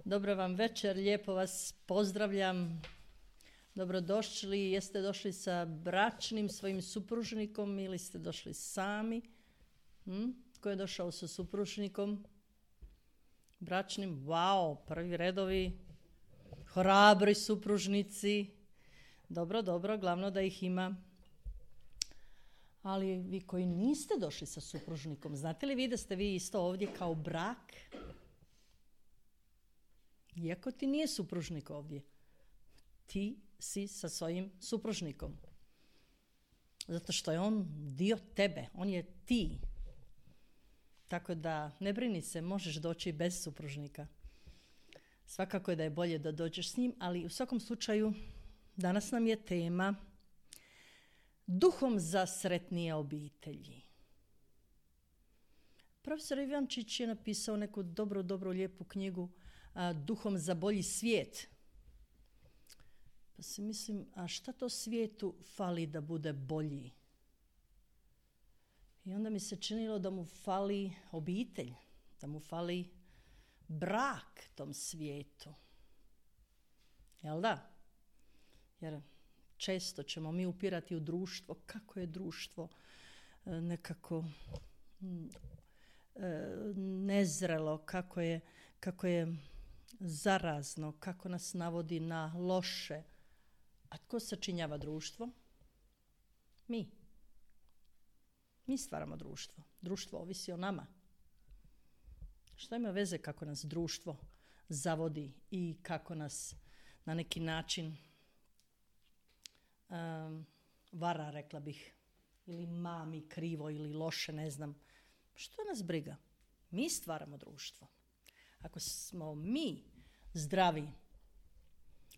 Dobro vam večer, lijepo vas pozdravljam. Dobrodošli, jeste došli sa bračnim svojim supružnikom ili ste došli sami? Ko je došao sa supružnikom? Bračnim, wow, prvi redovi, hrabri supružnici. Dobro, glavno da ih ima. Ali vi koji niste došli sa supružnikom, znate li vi da ste vi isto ovdje kao brak? Iako ti nije supružnik ovdje, ti si sa svojim supružnikom. Zato što je on dio tebe, on je ti. Tako da ne brini se, možeš doći bez supružnika. Svakako je da je bolje da dođeš s njim, ali u svakom slučaju danas nam je tema duhom za sretnije obitelji. Profesor Ivančić je napisao neku dobro lijepu knjigu Duhom za bolji svijet. Pa si mislim, a šta to svijetu fali da bude bolji? I onda mi se činilo da mu fali obitelj, da mu fali brak tom svijetu. Jel da? Jer često ćemo mi upirati u društvo, kako je društvo nekako nezrelo, kako je zarazno, kako nas navodi na loše. A tko sačinjava društvo? Mi. Mi stvaramo društvo. Društvo ovisi o nama. Što ima veze kako nas društvo zavodi i kako nas na neki način vara, rekla bih, ili mami krivo ili loše, ne znam. Što nas briga? Mi stvaramo društvo. Ako smo mi zdravi,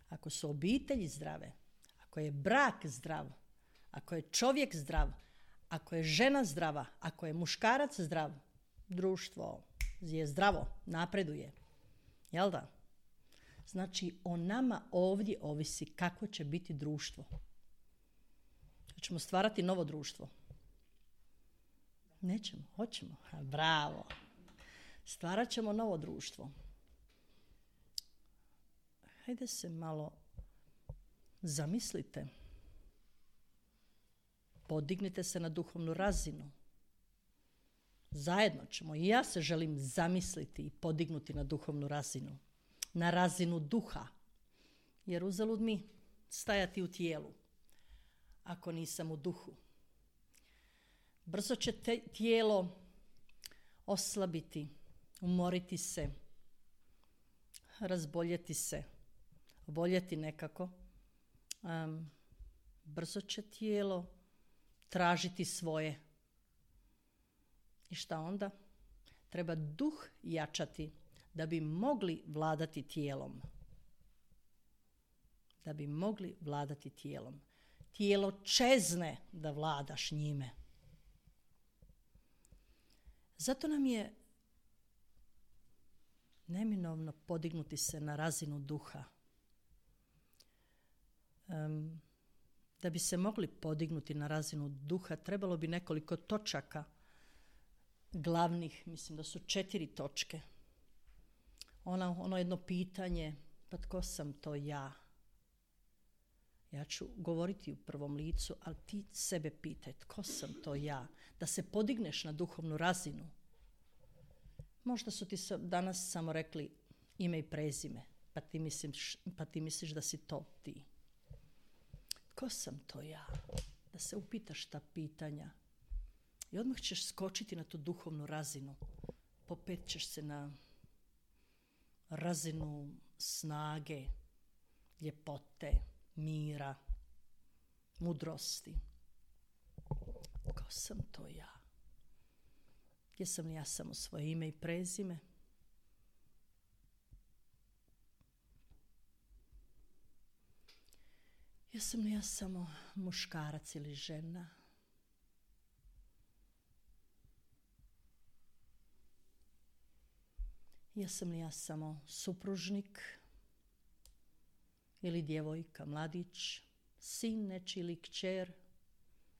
ako su obitelji zdrave, ako je brak zdrav, ako je čovjek zdrav, ako je žena zdrava, ako je muškarac zdrav, društvo je zdravo, napreduje. Jel da? Znači, o nama ovdje ovisi kako će biti društvo. Hoćemo stvarati novo društvo? Nećemo, hoćemo. Bravo. Stvarat ćemo novo društvo. Hajde se malo zamislite. Podignite se na duhovnu razinu. Zajedno ćemo. I ja se želim zamisliti i podignuti na duhovnu razinu. Na razinu duha. Jer uzalud mi stajati u tijelu ako nisam u duhu. Brzo će tijelo oslabiti, umoriti se, razboljeti se, oboljeti nekako. Brzo će tijelo tražiti svoje. I šta onda? Treba duh jačati da bi mogli vladati tijelom. Da bi mogli vladati tijelom. Tijelo čezne da vladaš njime. Zato nam je neminovno podignuti se na razinu duha. Da bi se mogli podignuti na razinu duha, trebalo bi nekoliko točaka glavnih, mislim da su 4 točke. Ono jedno pitanje, pa tko sam to ja? Ja ću govoriti u prvom licu, ali ti sebe pitaj, tko sam to ja? Da se podigneš na duhovnu razinu. Možda su ti danas samo rekli ime i prezime, pa ti misliš da si to ti. Tko sam to ja? Da se upitaš ta pitanja. I odmah ćeš skočiti na tu duhovnu razinu. Popet ćeš se na razinu snage, ljepote, mira, mudrosti. Tko sam to ja? Jesam li ja samo svoje ime i prezime? Jesam li ja samo muškarac ili žena? Jesam li ja samo supružnik ili djevojka, mladić, sin nečiji ili kćer?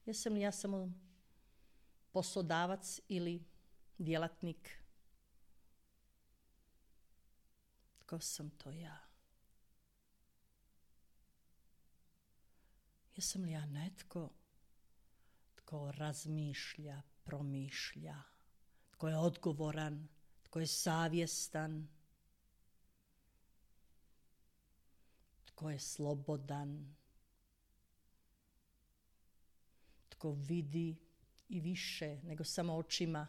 Jesam li ja samo poslodavac ili djelatnik? Tko sam to ja? Jesam li ja netko tko razmišlja, promišlja, tko je odgovoran, tko je savjestan, tko je slobodan, tko vidi i više nego samo očima.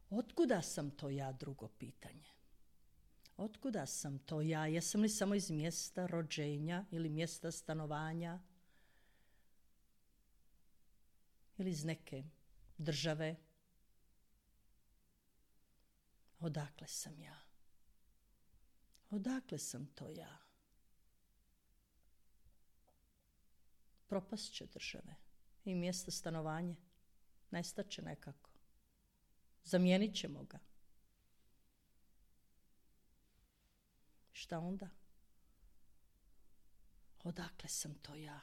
Otkuda sam to ja, drugo pitanje? Otkuda sam to ja? Jesam li samo iz mjesta rođenja ili mjesta stanovanja? Ili iz neke države? Odakle sam ja? Odakle sam to ja? Propast će države i mjesto stanovanja. Nestat će nekako. Zamijenit ćemo ga. Šta onda? Odakle sam to ja?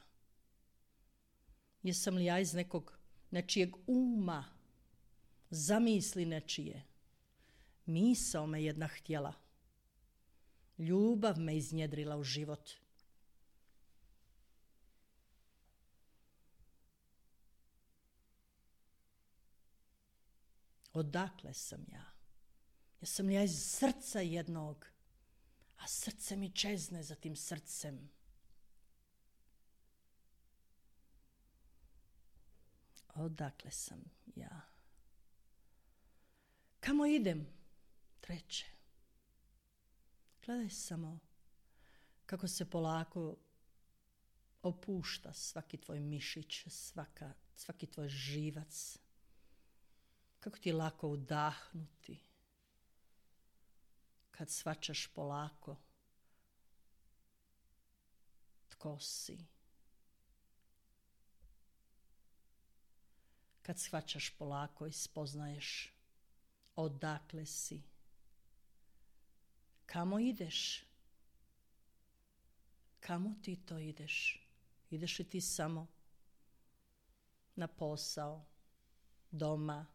Jesam li ja iz nečijeg uma, zamisli nečije? Misao me jedna htjela. Ljubav me iznjedrila u život. Odakle sam ja? Jesam li ja iz srca jednog? A srce mi čezne za tim srcem. Odakle sam ja? Kamo idem? Treće. Gledaj samo kako se polako opušta svaki tvoj mišić, svaki tvoj živac. Kako ti je lako udahnuti kad shvaćaš polako tko si. Kad shvaćaš polako i spoznaješ odakle si. Kamo ideš? Kamo ti to ideš? Ideš li ti samo na posao, doma?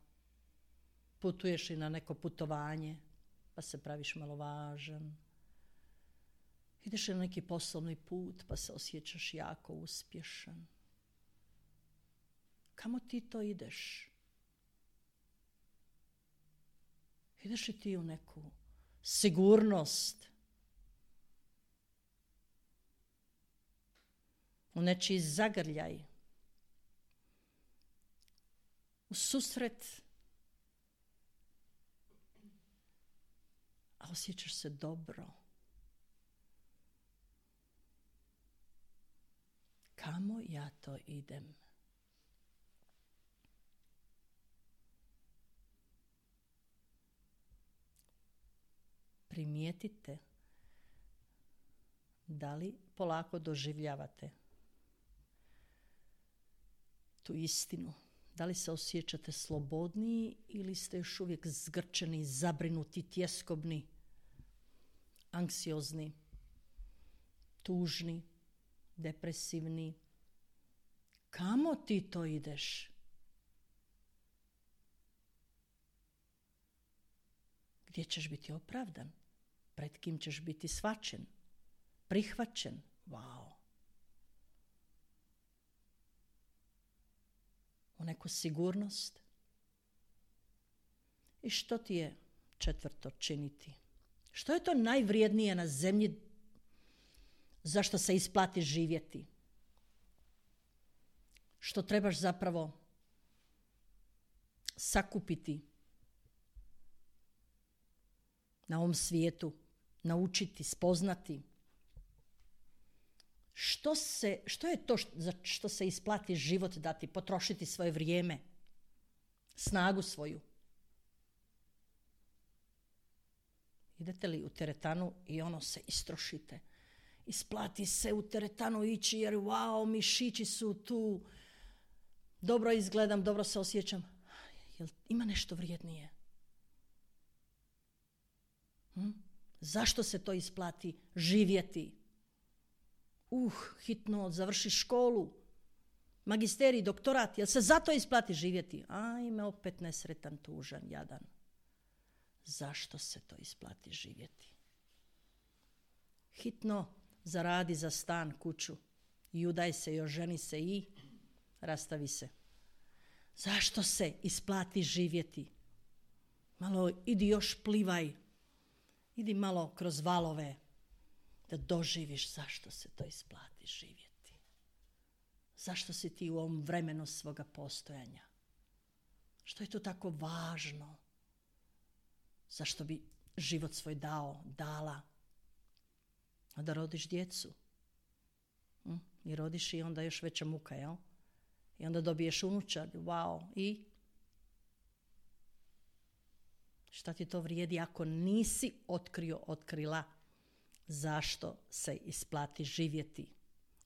Putuješ li na neko putovanje, pa se praviš malo važan? Ideš li na neki poslovni put, pa se osjećaš jako uspješan? Kamo ti to ideš? Ideš li ti u neku sigurnost? U nečiji zagrljaj? U susret? A osjećaš se dobro. Kamo ja to idem? Primijetite da li polako doživljavate tu istinu. Da li se osjećate slobodniji ili ste još uvijek zgrčeni, zabrinuti, tjeskobni, anksiozni, tužni, depresivni? Kamo ti to ideš? Gdje ćeš biti opravdan? Pred kim ćeš biti shvaćen? Prihvaćen? Wow! U neku sigurnost? I što ti je četvrto činiti? Što je to najvrijednije na zemlji za što se isplati živjeti? Što trebaš zapravo sakupiti na ovom svijetu, naučiti, spoznati? Što je to za što se isplati život dati, potrošiti svoje vrijeme, snagu svoju? Idete li u teretanu i se istrošite? Isplati se u teretanu ići jer wow, mišići su tu, dobro izgledam, dobro se osjećam. Jel ima nešto vrijednije? Zašto se to isplati živjeti? Hitno, završi školu, magisterij, doktorat, jel se zato isplati živjeti? Ajme, opet nesretan, tužan, jadan. Zašto se to isplati živjeti? Hitno zaradi za stan, kuću i udaj se i oženi se i rastavi se. Zašto se isplati živjeti? Malo idi još plivaj, idi malo kroz valove da doživiš zašto se to isplati živjeti. Zašto si ti u ovom vremenu svoga postojanja? Što je to tako važno? Zašto bi život svoj dala? A da rodiš djecu. I rodiš i onda još veća muka, jel? I onda dobiješ unučad, wow, i šta ti to vrijedi ako nisi otkrila zašto se isplati živjeti?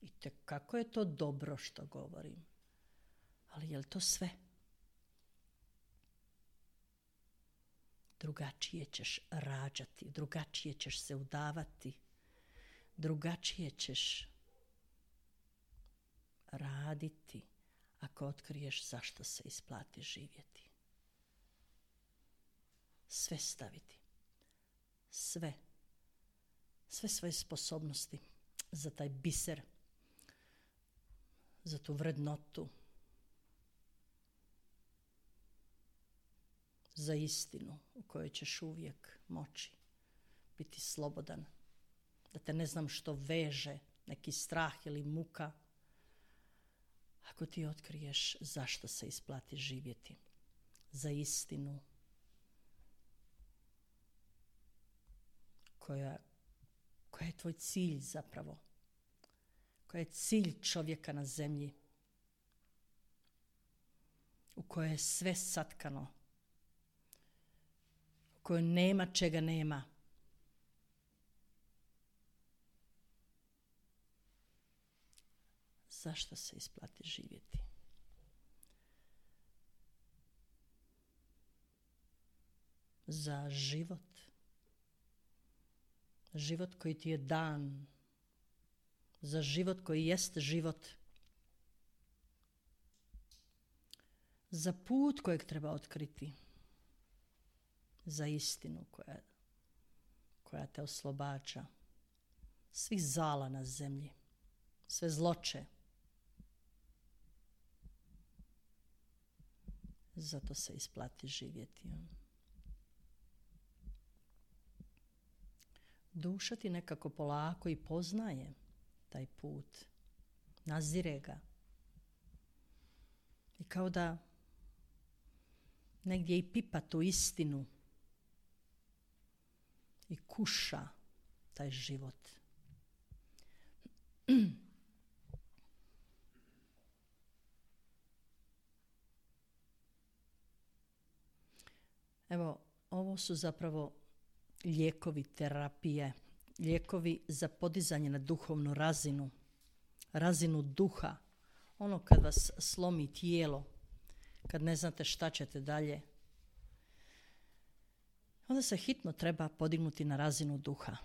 I kako je to dobro što govorim. Ali je li to sve? Drugačije ćeš rađati, drugačije ćeš se udavati, drugačije ćeš raditi ako otkriješ zašto se isplati živjeti. Sve staviti. Sve svoje sposobnosti za taj biser, za tu vrednotu, za istinu u kojoj ćeš uvijek moći biti slobodan, da te ne znam što veže, neki strah ili muka, ako ti otkriješ zašto se isplati živjeti, za istinu koja je tvoj cilj zapravo, koja je cilj čovjeka na zemlji, u kojoj je sve satkano, u kojoj nema čega nema. Zašto se isplati živjeti? Za život. Život koji ti je dan. Za život koji jest život. Za put kojeg treba otkriti. Za istinu koja te oslobađa. Svih zala na zemlji. Sve zloče. Zato se isplati živjeti. Duša ti nekako polako i poznaje taj put. Nazire ga. I kao da negdje i pipa tu istinu i kuša taj život. Evo, ovo su zapravo lijekovi terapije, lijekovi za podizanje na duhovnu razinu, razinu duha. Ono kad vas slomi tijelo, kad ne znate šta ćete dalje, onda se hitno treba podignuti na razinu duha.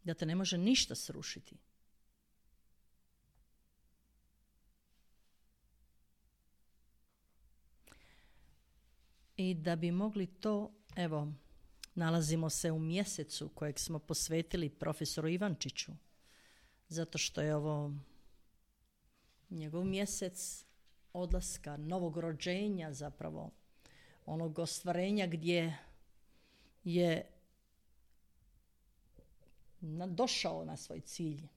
Da te ne može ništa srušiti. I da bi mogli to, evo, nalazimo se u mjesecu kojeg smo posvetili profesoru Ivančiću, zato što je ovo njegov mjesec odlaska, novog rođenja zapravo, onog ostvarenja gdje je došao na svoj cilj,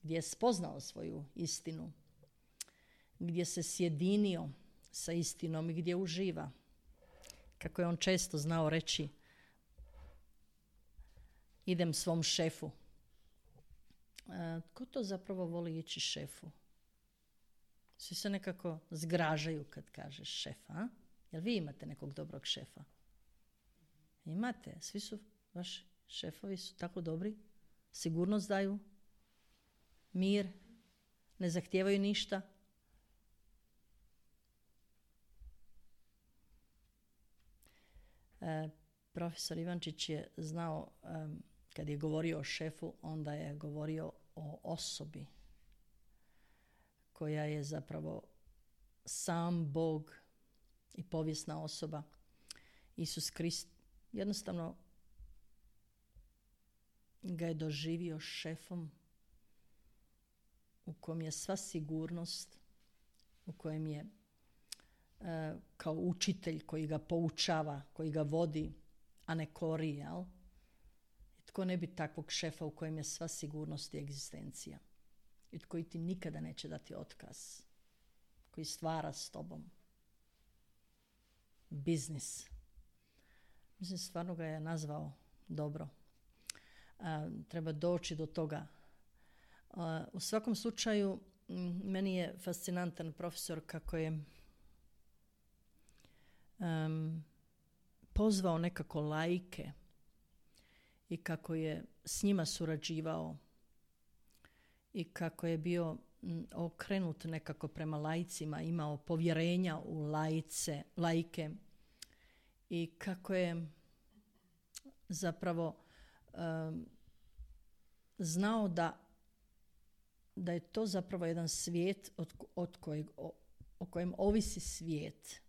gdje je spoznao svoju istinu, gdje se sjedinio sa istinom i gdje uživa. Kako je on često znao reći, idem svom šefu. Ko to zapravo voli ići šefu? Svi se nekako zgražaju kad kažeš šefa, a? Jel vi imate nekog dobrog šefa? Imate, svi su, vaši šefovi su tako dobri, sigurnost daju, mir, ne zahtijevaju ništa. Profesor Ivančić je znao, kad je govorio o šefu, onda je govorio o osobi. koja je zapravo sam Bog i povijesna osoba, Isus Krist, jednostavno ga je doživio šefom u kojem je sva sigurnost, u kojem je kao učitelj koji ga poučava, koji ga vodi, a ne kori, jel? Tko ne bi takvog šefa u kojem je sva sigurnost i egzistencija i koji ti nikada neće dati otkaz, koji stvara s tobom biznis. Mislim, stvarno ga je nazvao dobro. Treba doći do toga. U svakom slučaju, meni je fascinantan profesor kako je pozvao nekako laike i kako je s njima surađivao i kako je bio okrenut nekako prema laicima, imao povjerenja u laike i kako je zapravo znao da je to zapravo jedan svijet o kojem ovisi svijet.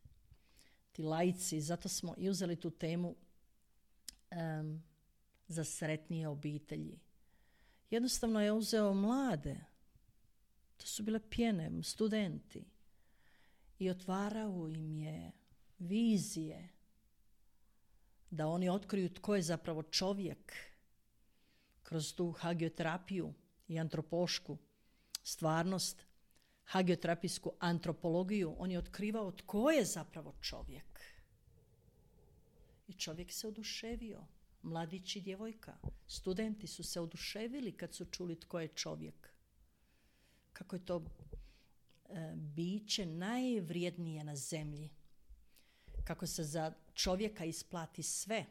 Ti laici, zato smo i uzeli tu temu za sretnije obitelji. Jednostavno je uzeo mlade, to su bile pjene, studenti, i otvarao im je vizije da oni otkriju tko je zapravo čovjek kroz tu hagioterapiju i antropološku stvarnost, hagioterapijsku antropologiju. On je otkrivao tko je zapravo čovjek. I čovjek se oduševio. Mladić i djevojka, studenti su se oduševili kad su čuli tko je čovjek. Kako je to biće najvrijednije na zemlji. Kako se za čovjeka isplati sve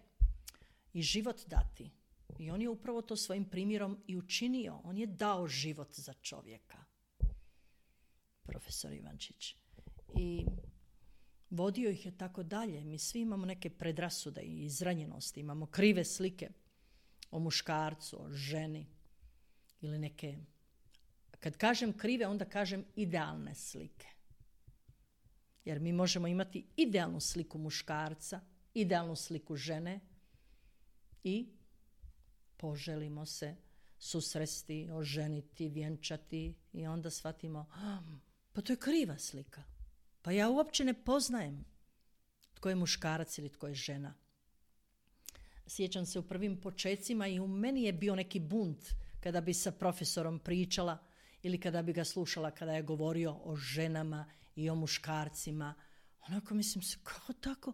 i život dati. I on je upravo to svojim primjerom i učinio. On je dao život za čovjeka. Profesor Ivančić. I vodio ih je tako dalje. Mi svi imamo neke predrasude i izranjenosti. Imamo krive slike o muškarcu, o ženi. Ili neke... Kad kažem krive, onda kažem idealne slike. Jer mi možemo imati idealnu sliku muškarca, idealnu sliku žene i poželimo se susresti, oženiti, vjenčati i onda shvatimo, pa to je kriva slika. Pa ja uopće ne poznajem tko je muškarac ili tko je žena. Sjećam se u prvim počecima i u meni je bio neki bunt kada bi sa profesorom pričala ili kada bi ga slušala kada je govorio o ženama i o muškarcima. Onako mislim se, kako tako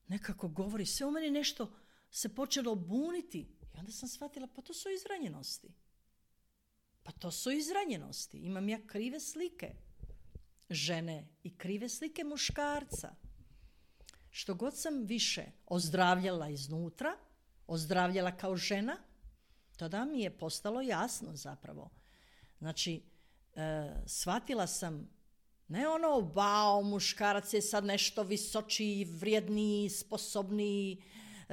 nekako govori. Sve u meni nešto se počelo buniti. I onda sam shvatila, pa to su izranjenosti. Pa to su izranjenosti. Imam ja krive slike žene i krive slike muškarca. Što god sam više ozdravljala iznutra, ozdravljala kao žena, tada mi je postalo jasno zapravo. Znači, shvatila sam, ne ono, wow, muškarac je sad nešto visočiji, vrijedniji, sposobniji,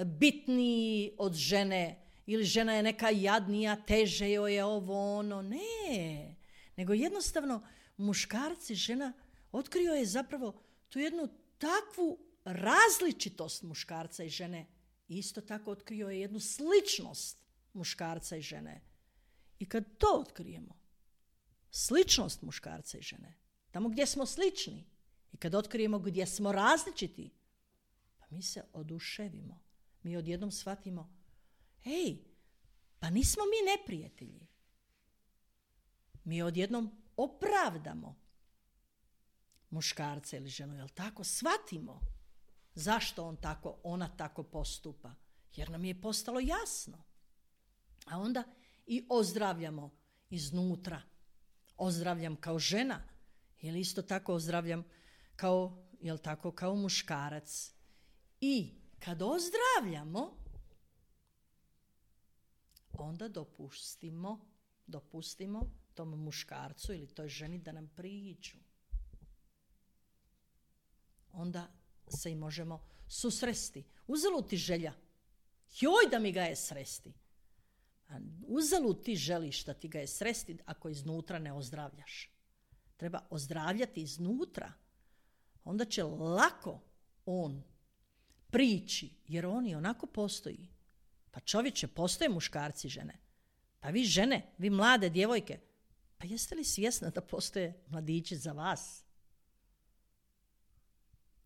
bitniji od žene, ili žena je neka jadnija, teže joj je ovo, ono, ne. Nego jednostavno, muškarac i žena otkrio je zapravo tu jednu takvu različitost muškarca i žene. Isto tako otkrio je jednu sličnost muškarca i žene. I kad to otkrijemo, sličnost muškarca i žene, tamo gdje smo slični, i kad otkrijemo gdje smo različiti, pa mi se oduševimo. Mi odjednom shvatimo, ej, pa nismo mi neprijatelji. Mi odjednom opravdamo muškarca ili ženu, jel tako? Shvatimo zašto ona tako postupa. Jer nam je postalo jasno. A onda i ozdravljamo iznutra. Ozdravljam kao žena ili isto tako ozdravljam kao, jel tako, kao muškarac. I kad ozdravljamo, onda dopustimo tom muškarcu ili toj ženi da nam priđu. Onda se i možemo susresti. Uzalud ti želja. Joj da mi ga je sresti. A uzalud ti želiš da ti ga je sresti ako iznutra ne ozdravljaš. Treba ozdravljati iznutra. Onda će lako on prići, jer on i onako postoji. Pa čovječe, postoje muškarci, žene. Pa vi žene, vi mlade djevojke, pa jeste li svjesni da postoje mladići za vas?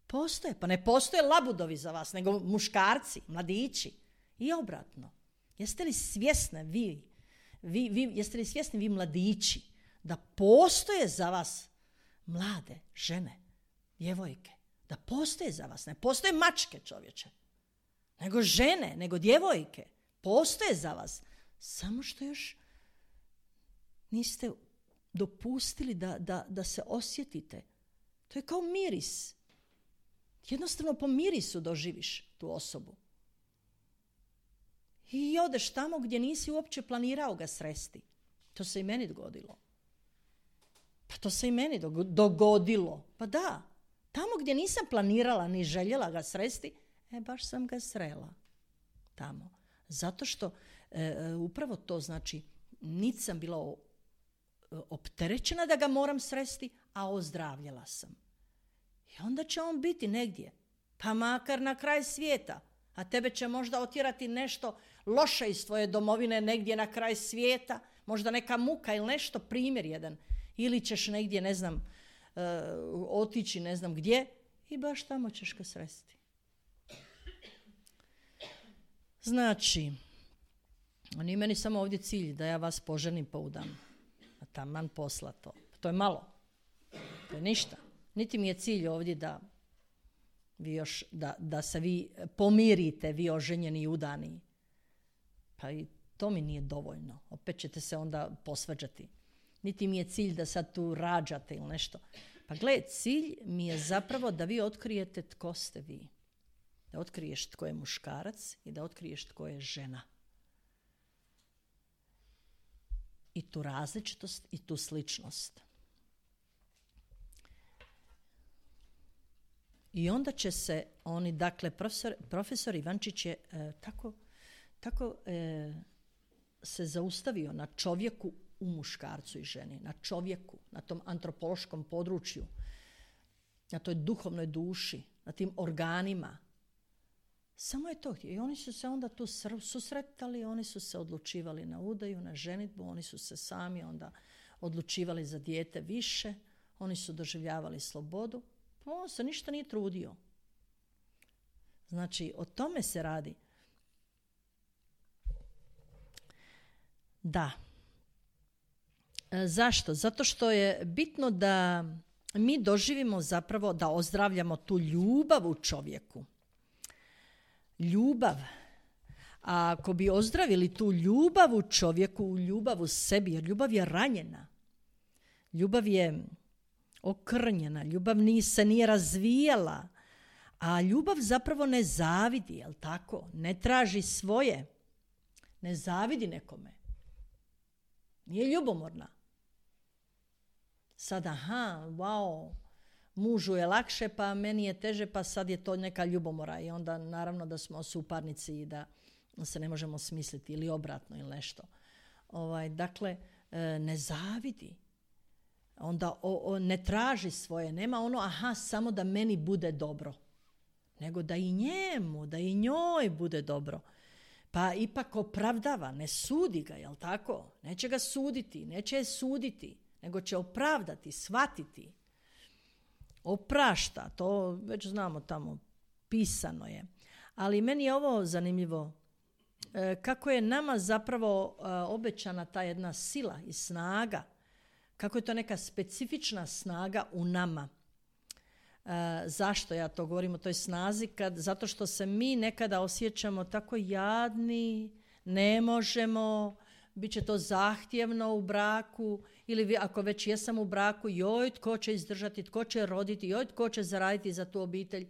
Postoje, pa ne postoje labudovi za vas, nego muškarci, mladići. I obratno. Jeste li svjesni jeste li svjesni vi mladići da postoje za vas mlade žene, djevojke, da postoje za vas, ne postoje mačke, čovječe, nego žene, nego djevojke, postoje za vas, samo što još niste dopustili da se osjetite. To je kao miris. Jednostavno po mirisu doživiš tu osobu. I odeš tamo gdje nisi uopće planirao ga sresti. To se i meni dogodilo. Pa to se i meni dogodilo. Pa da, tamo gdje nisam planirala ni željela ga sresti, baš sam ga srela tamo. Zato što upravo to znači, niti sam bila opterećena da ga moram sresti, a ozdravljala sam. I onda će on biti negdje, pa makar na kraj svijeta, a tebe će možda otjerati nešto loše iz tvoje domovine negdje na kraj svijeta, možda neka muka ili nešto, primjer jedan. Ili ćeš negdje, ne znam, otići ne znam gdje i baš tamo ćeš ga sresti. Znači, nije meni samo ovdje cilj da ja vas poženim pa udam. A taman posla to. To je malo. To je ništa. Niti mi je cilj ovdje da se vi pomirite, vi oženjeni i udani. Pa i to mi nije dovoljno. Opet ćete se onda posvađati. Niti mi je cilj da sad tu rađate ili nešto. Pa gle, cilj mi je zapravo da vi otkrijete tko ste vi. Da otkriješ tko je muškarac i da otkriješ tko je žena. I tu različitost i tu sličnost. I onda će se oni, dakle, profesor Ivančić je tako se zaustavio na čovjeku u muškarcu i ženi, na čovjeku, na tom antropološkom području, na toj duhovnoj duši, na tim organima. Samo je to htio. I oni su se onda tu susretali, oni su se odlučivali na udaju, na ženidbu, oni su se sami onda odlučivali za dijete više, oni su doživljavali slobodu. On se ništa nije trudio. Znači, o tome se radi. Da. Zašto? Zato što je bitno da mi doživimo zapravo da ozdravljamo tu ljubav u čovjeku. Ljubav. A ako bi ozdravili tu ljubav u čovjeku, ljubav u sebi, jer ljubav je ranjena. Ljubav je okrnjena, ljubav se nije razvijala, a ljubav zapravo ne zavidi, jel tako? Ne traži svoje, ne zavidi nekome. Nije ljubomorna. Sad, wow, mužu je lakše, pa meni je teže, pa sad je to neka ljubomora i onda naravno da smo suparnici i da se ne možemo smisliti ili obratno ili nešto. Dakle, ne zavidi. Onda ne traži svoje, nema ono samo da meni bude dobro, nego da i njemu, da i njoj bude dobro. Pa ipak opravdava, ne sudi ga, jel tako? Neće ga suditi, neće je suditi, nego će opravdati, shvatiti. Oprašta, to već znamo tamo, pisano je. Ali meni je ovo zanimljivo, kako je nama zapravo obećana ta jedna sila i snaga, kako je to neka specifična snaga u nama. Zašto ja to govorim o toj snazi? Zato što se mi nekada osjećamo tako jadni, ne možemo, bit će to zahtjevno u braku, ili ako već jesam u braku, joj tko će izdržati, tko će roditi, joj tko će zaraditi za tu obitelj,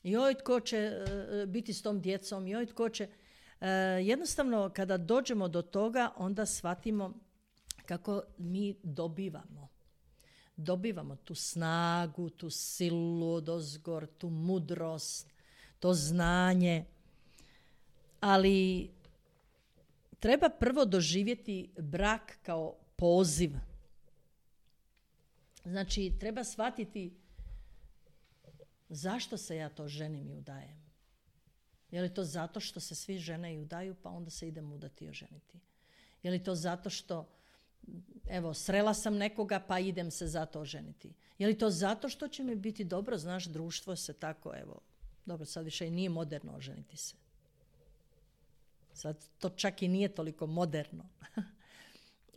joj tko će biti s tom djecom, joj tko će... Jednostavno, kada dođemo do toga, onda shvatimo kako mi dobivamo tu snagu, tu silu odozgor, tu mudrost, to znanje. Ali treba prvo doživjeti brak kao poziv. Znači, treba shvatiti zašto se ja to ženim i udajem. Je li to zato što se svi žene i udaju, pa onda se idem udati i oženiti? Je li to zato što, evo, srela sam nekoga, pa idem se zato oženiti? Je li to zato što će mi biti dobro, znaš, društvo se tako, evo, dobro, sad više i nije moderno oženiti se. Sad to čak i nije toliko moderno.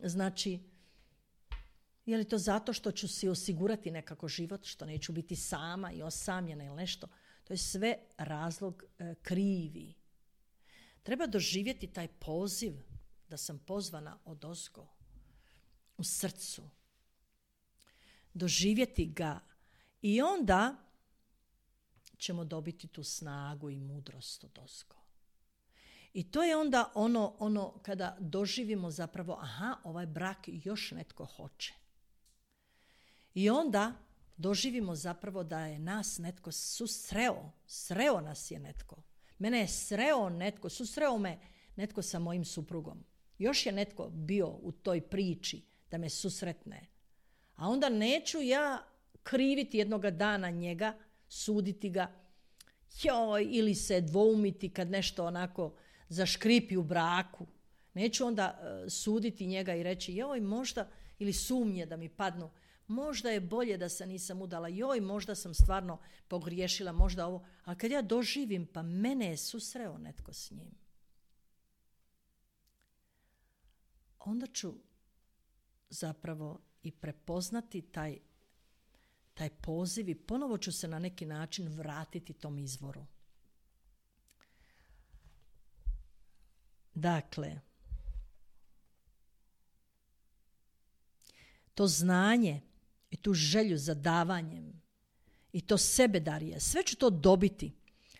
Znači, je li to zato što ću si osigurati nekako život, što neću biti sama i osamljena ili nešto? To je sve razlog krivi. Treba doživjeti taj poziv da sam pozvana odozgo, u srcu. Doživjeti ga i onda ćemo dobiti tu snagu i mudrost odozgo. I to je onda ono kada doživimo zapravo, aha, ovaj brak još netko hoće. I onda doživimo zapravo da je nas netko sreo nas je netko. Mene je sreo netko, susreo me netko sa mojim suprugom. Još je netko bio u toj priči da me susretne. A onda neću ja kriviti jednoga dana njega, suditi ga, ili se dvoumiti kad nešto onako zaškripi u braku. Neću onda suditi njega i reći, možda, ili sumnje da mi padnu, možda je bolje da se nisam udala, možda sam stvarno pogriješila, možda ovo. A kad ja doživim, pa mene je susreo netko s njim. Onda ću zapravo i prepoznati taj poziv i ponovo ću se na neki način vratiti tom izvoru. Dakle, to znanje i tu želju za davanjem i to sebedarje, sve ću to dobiti.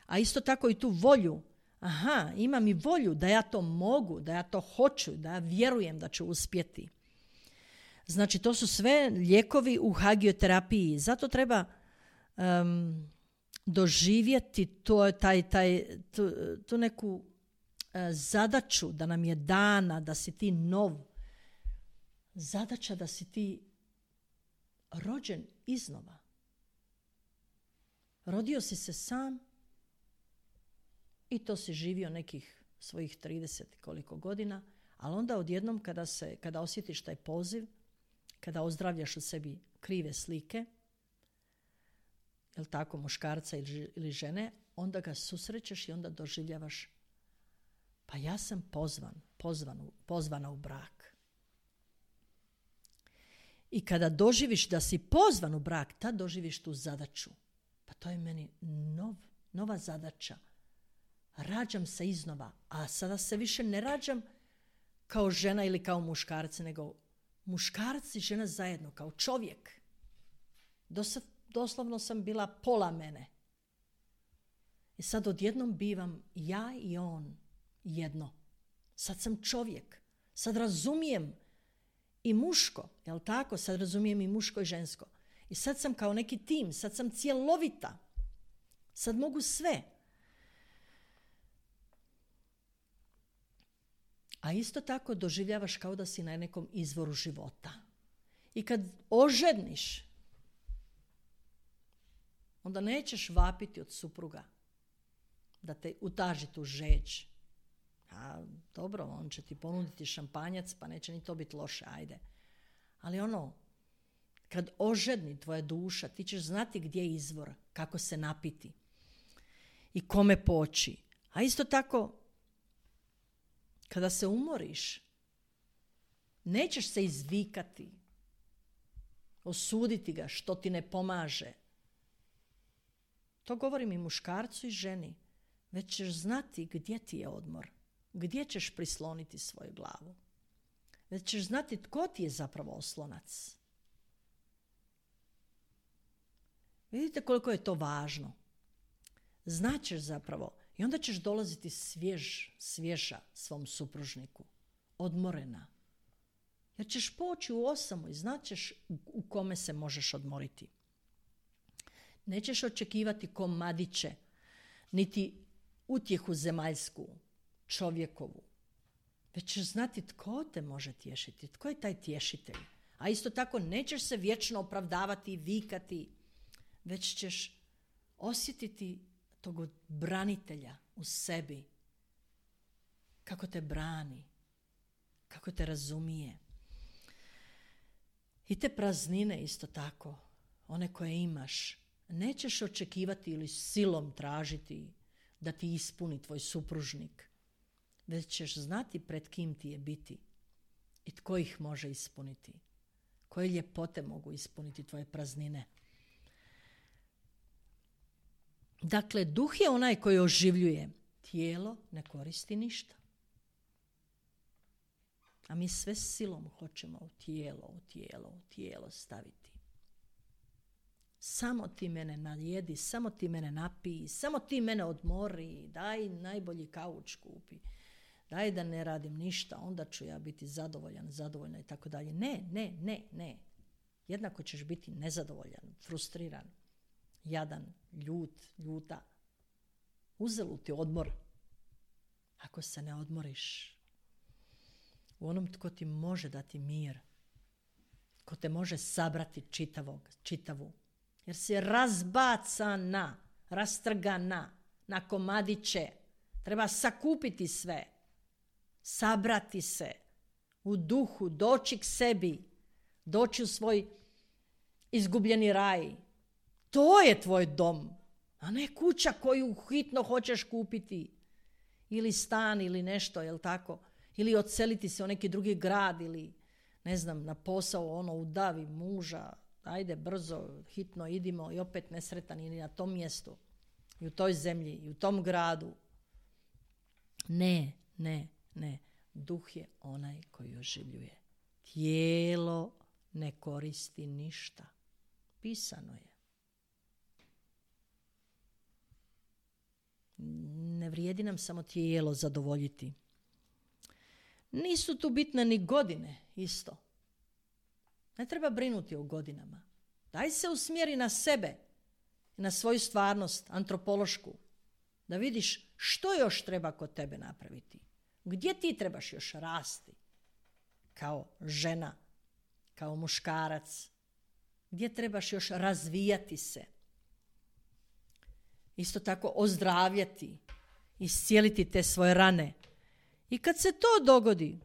A isto tako i tu volju. Aha, imam i volju da ja to mogu, da ja to hoću, da ja vjerujem da ću uspjeti. Znači, to su sve lijekovi u hagioterapiji. Zato treba doživjeti tu neku zadaću da nam je dana, da si ti nov. Zadaća da si ti rođen iznova. Rodio si se sam i to si živio nekih svojih 30 koliko godina, ali onda odjednom kada osjetiš taj poziv, kada ozdravljaš u sebi krive slike, jel tako, muškarca ili žene, onda ga susrećeš i onda doživljavaš, pa ja sam pozvana u brak. I kada doživiš da si pozvan u brak, tad doživiš tu zadaću. Pa to je meni nova zadaća. Rađam se iznova, a sada se više ne rađam kao žena ili kao muškarci, nego muškarci i žena zajedno, kao čovjek. Doslovno sam bila pola mene. I sad odjednom bivam ja i on jedno. Sad sam čovjek. Sad razumijem i muško, jel tako? Sad razumijem i muško i žensko. I sad sam kao neki tim, sad sam cjelovita. Sad mogu sve. A isto tako doživljavaš kao da si na nekom izvoru života. I kad oženiš, onda nećeš vapiti od supruga da te utaži tu žeđ. A dobro, on će ti ponuditi šampanjac, pa neće ni to biti loše, ajde. Ali kad ožedni tvoja duša, ti ćeš znati gdje je izvor, kako se napiti i kome poći. A isto tako, kada se umoriš, nećeš se izvikati, osuditi ga što ti ne pomaže. To govorim i muškarcu i ženi. Već ćeš znati gdje ti je odmor, gdje ćeš prisloniti svoju glavu. Već ćeš znati tko ti je zapravo oslonac. Vidite koliko je to važno. Znaćeš zapravo i onda ćeš dolaziti svježa svom supružniku, odmorena. Jer ćeš poći u osamu i znaćeš u kome se možeš odmoriti. Nećeš očekivati komadiće, niti utjehu zemaljsku, čovjekovu. Već ćeš znati tko te može tješiti, tko je taj tješitelj. A isto tako nećeš se vječno opravdavati i vikati, već ćeš osjetiti tog branitelja u sebi. Kako te brani, kako te razumije. I te praznine isto tako, one koje imaš, nećeš očekivati ili silom tražiti da ti ispuni tvoj supružnik, već ćeš znati pred kim ti je biti i tko ih može ispuniti. Koje ljepote mogu ispuniti tvoje praznine. Dakle, duh je onaj koji oživljuje. Tijelo ne koristi ništa. A mi sve silom hoćemo u tijelo staviti. Samo ti mene najedi, samo ti mene napiji, samo ti mene odmori, daj najbolji kauč kupi, daj da ne radim ništa, onda ću ja biti zadovoljna i tako dalje. Ne. Jednako ćeš biti nezadovoljan, frustriran, jadan, ljuta. Uzeluti odmor. Ako se ne odmoriš u onom tko ti može dati mir, ko te može sabrati čitavu, jer si razbacana, rastrgana na komadiće. Treba sakupiti sve, sabrati se u duhu, doći k sebi, doći u svoj izgubljeni raj. To je tvoj dom, a ne kuća koju hitno hoćeš kupiti. Ili stan ili nešto, jel tako? Ili odseliti se u neki drugi grad ili, ne znam, na posao, udavi muža. Ajde, brzo, hitno idimo i opet nesretan ili na tom mjestu. I u toj zemlji, i u tom gradu. Ne. Duh je onaj koji oživljuje. Tijelo ne koristi ništa. Pisano je. Ne vrijedi nam samo tijelo zadovoljiti. Nisu tu bitne ni godine isto. Ne treba brinuti o godinama. Daj se usmjeri na sebe, na svoju stvarnost, antropološku, da vidiš što još treba kod tebe napraviti. Gdje ti trebaš još rasti? Kao žena, kao muškarac. Gdje trebaš još razvijati se? Isto tako ozdravljati, iscijeliti te svoje rane. I kad se to dogodi,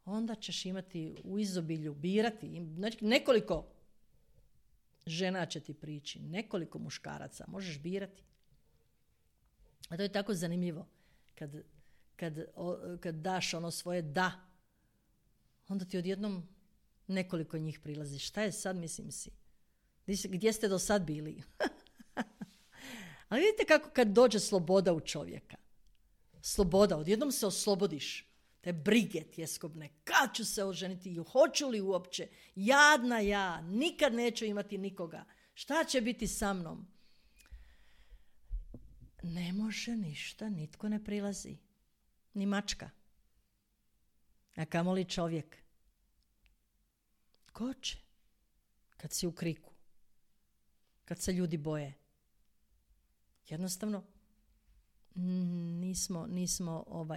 onda ćeš imati u izobilju birati. Nekoliko žena će ti prići, nekoliko muškaraca, možeš birati. A to je tako zanimljivo. Kad daš ono svoje da, onda ti odjednom nekoliko njih prilazi. Šta je sad, mislim si? Gdje ste do sad bili? Ali vidite kako kad dođe sloboda u čovjeka. Sloboda, odjednom se oslobodiš. Te brige tjeskobne. Kad ću se oženiti? Hoću li uopće? Jadna ja. Nikad neću imati nikoga. Šta će biti sa mnom? Ne može ništa, nitko ne prilazi. Ni mačka. A kamoli čovjek. Ko će? Kad si u kriku. Kad se ljudi boje. Jednostavno nismo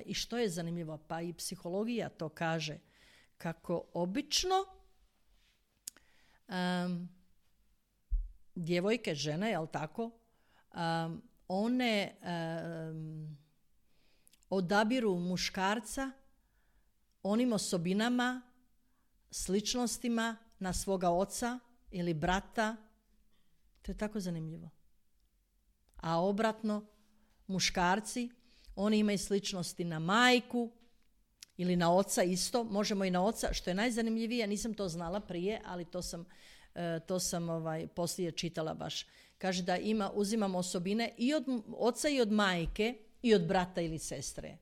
i što je zanimljivo, pa i psihologija to kaže, kako obično djevojke, žene, jel tako, one odabiru muškarca onim osobinama, sličnostima na svoga oca ili brata. To je tako zanimljivo. A obratno, muškarci, oni imaju sličnosti na majku ili na oca isto. Možemo i na oca, što je najzanimljivije, nisam to znala prije, ali to sam poslije čitala baš. Kaže da uzimamo osobine i od oca i od majke i od brata ili sestre.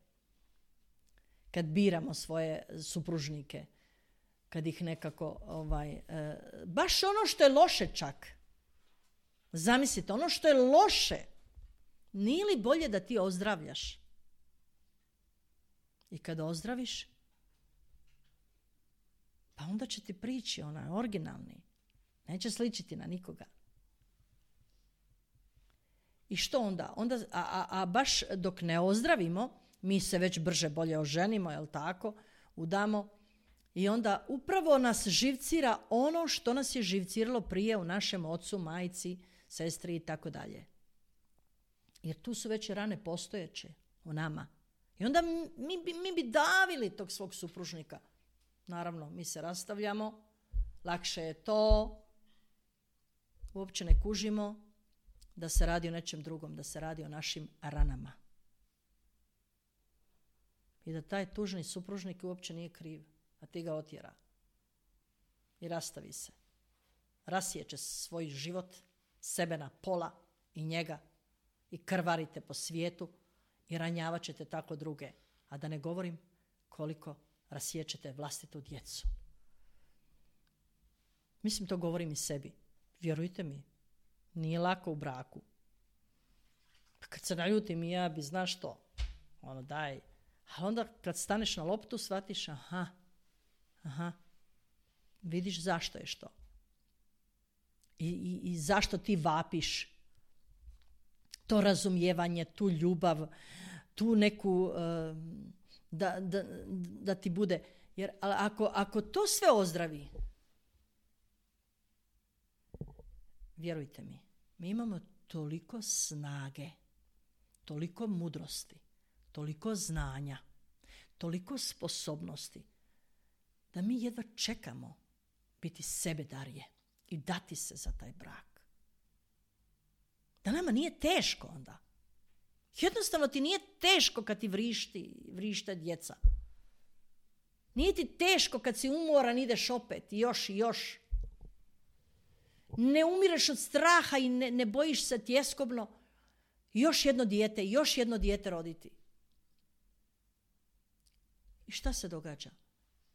Kad biramo svoje supružnike, kad ih nekako, baš ono što je loše čak. Zamislite, ono što je loše, nije li bolje da ti ozdravljaš? I kada ozdraviš, pa onda će ti prići onaj originalni. Neće sličiti na nikoga. I što onda? A baš dok ne ozdravimo, mi se već brže bolje oženimo, jel tako? Udamo I onda upravo nas živcira ono što nas je živciralo prije u našem ocu, majci, sestri i tako dalje. Jer tu su već rane postojeće u nama. I onda mi bi davili tog svog supružnika. Naravno, mi se rastavljamo, lakše je to, uopće ne kužimo da se radi o nečem drugom, da se radi o našim ranama. I da taj tužni supružnik uopće nije kriv, a ti ga otjera. I rastavi se. Rasjeće svoj život, sebe na pola i njega i krvarite po svijetu i ranjavat ćete tako druge. A da ne govorim koliko rasjećete vlastitu djecu. Mislim, to govorim i sebi. Vjerujte mi, nije lako u braku. Kad se naljutim i ja bi, znaš što, daj. Ali onda kad staneš na loptu, shvatiš, aha, vidiš zašto je što. I zašto ti vapiš to razumijevanje, tu ljubav, tu neku, da ti bude. Jer ako to sve ozdravi, vjerujte mi, mi imamo toliko snage, toliko mudrosti, toliko znanja, toliko sposobnosti, da mi jedva čekamo biti sebedarje i dati se za taj brak. Da nama nije teško onda. Jednostavno ti nije teško kad ti vrište djeca. Nije ti teško kad si umoran, ideš opet i još. Ne umireš od straha i ne bojiš se tjeskobno još jedno dijete roditi. I šta se događa?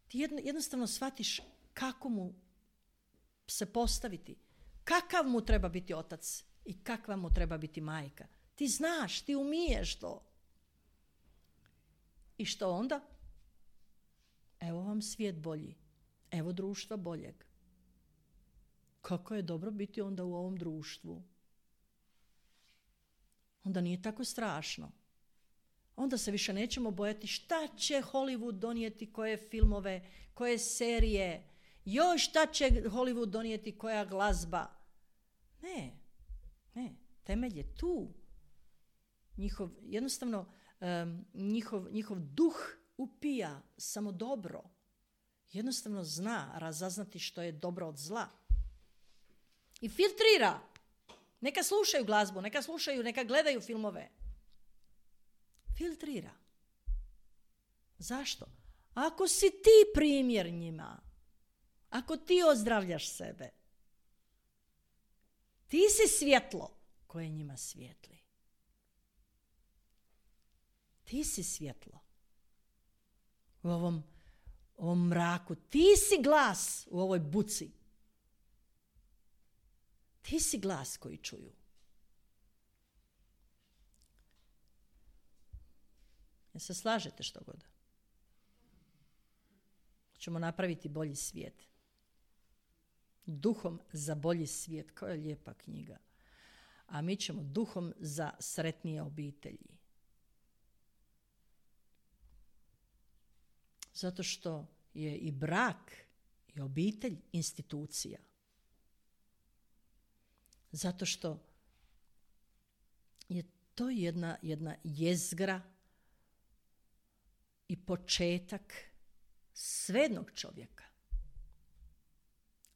Ti jednostavno shvatiš kako mu se postaviti, kakav mu treba biti otac i kakva mu treba biti majka. Ti znaš, ti umiješ to. I što onda? Evo vam svijet bolji. Evo društva boljeg. Kako je dobro biti onda u ovom društvu. Onda nije tako strašno. Onda se više nećemo bojati šta će Hollywood donijeti, koje filmove, koje serije, šta će Hollywood donijeti, koja glazba. Ne, temelj je tu. Njihov duh upija samo dobro. Jednostavno zna razaznati što je dobro od zla. I filtrira. Neka slušaju glazbu, neka gledaju filmove. Filtrira. Zašto? Ako si ti primjer njima, ako ti ozdravljaš sebe, ti si svjetlo koje njima svijetli. Ti si svjetlo u ovom mraku. Ti si glas u ovoj buci. Ti si glas koji čuju. Jel se slažete što god? Ćemo napraviti bolji svijet. Duhom za bolji svijet. Koja je lijepa knjiga. A mi ćemo duhom za sretnije obitelji. Zato što je i brak i obitelj institucija. Zato što je to jedna jezgra i početak svednog čovjeka.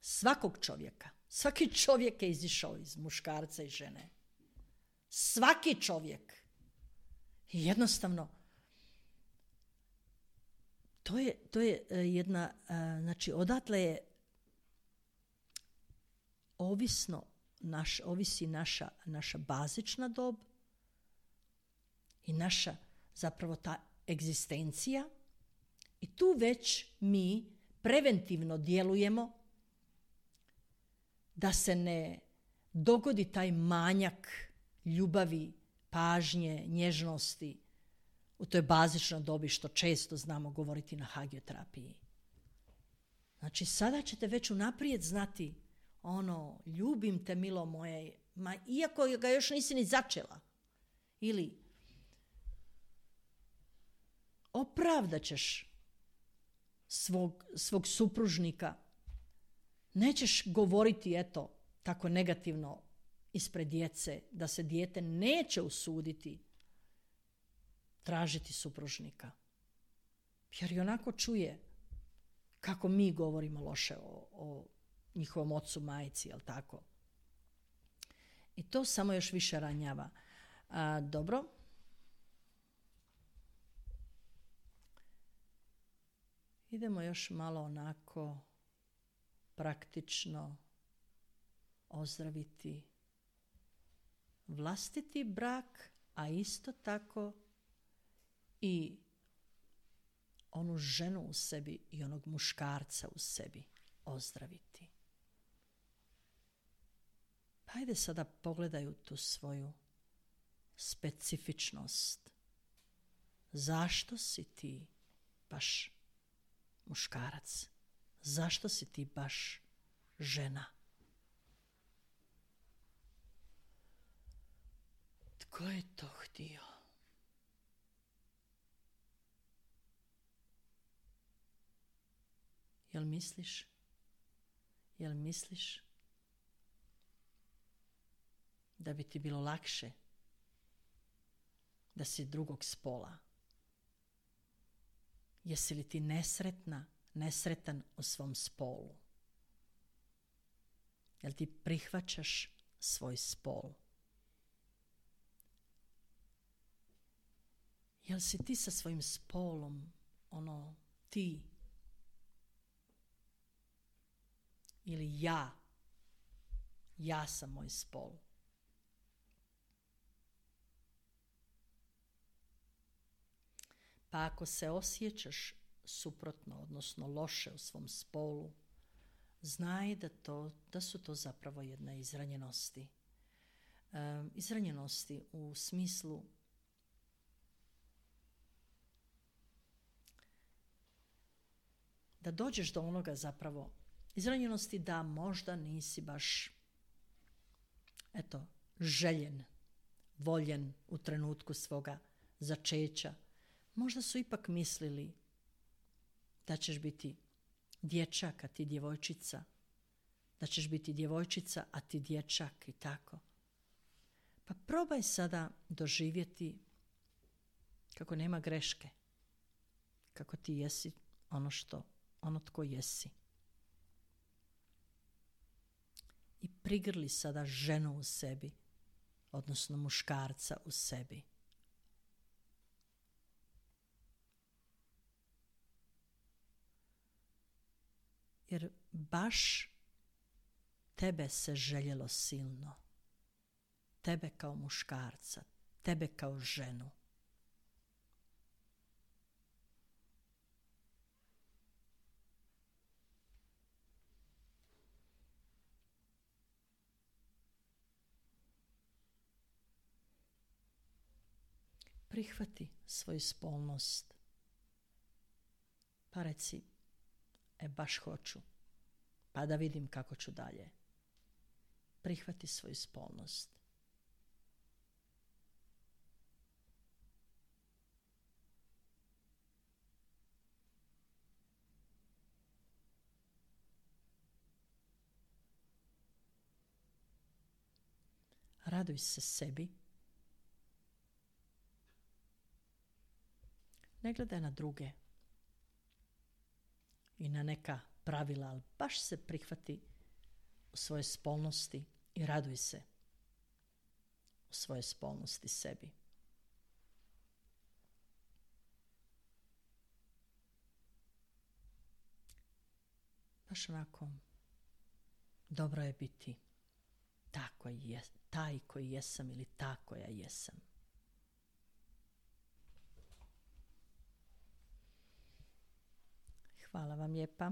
Svakog čovjeka. Svaki čovjek je izišao iz muškarca i žene. Svaki čovjek. I jednostavno, to je jedna, znači odatle je ovisi naša bazična dob i naša zapravo ta egzistencija. I tu već mi preventivno djelujemo da se ne dogodi taj manjak ljubavi, pažnje, nježnosti u toj bazičnoj dobi što često znamo govoriti na hagioterapiji. Znači sada ćete već unaprijed znati ljubim te milo moje, iako ga još nisi ni začela. Ili opravdat ćeš svog supružnika. Nećeš govoriti, eto, tako negativno ispred djece, da se dijete neće usuditi tražiti supružnika. Jer i onako čuje kako mi govorimo loše o njihovom ocu, majci, jel tako? I to samo još više ranjava. Dobro. Idemo još malo onako praktično ozdraviti vlastiti brak, a isto tako i onu ženu u sebi i onog muškarca u sebi ozdraviti. Pa ajde sada pogledaju tu svoju specifičnost. Zašto si ti baš muškarac? Zašto si ti baš žena? Tko je to htio? Jel misliš da bi ti bilo lakše da si drugog spola? Jesi li ti nesretan u svom spolu? Jel ti prihvaćaš svoj spol? Jel si ti sa svojim spolom ti? Ili ja sam moj spol? Pa ako se osjećaš suprotno, odnosno loše u svom spolu, znaj da su to zapravo jedne izranjenosti. Izranjenosti u smislu da dođeš do onoga zapravo izranjenosti da možda nisi baš željen, voljen u trenutku svoga začeća. Možda su ipak mislili da ćeš biti dječak, a ti djevojčica. Da ćeš biti djevojčica, a ti dječak i tako. Pa probaj sada doživjeti kako nema greške. Kako ti jesi ono tko jesi. I prigrli sada ženu u sebi, odnosno muškarca u sebi. Jer baš tebe se željelo silno. Tebe kao muškarca, tebe kao ženu. Prihvati svoju spolnost. Pa reci, baš hoću, pa da vidim kako ću dalje. Prihvati svoju spolnost. Raduj se sebi. Ne gledaj na druge i na neka pravila, ali baš se prihvati u svoje spolnosti i raduj se u svoje spolnosti sebi. Baš onako dobro je biti taj koji jesam ili ta koja jesam. Hvala vam lijepa.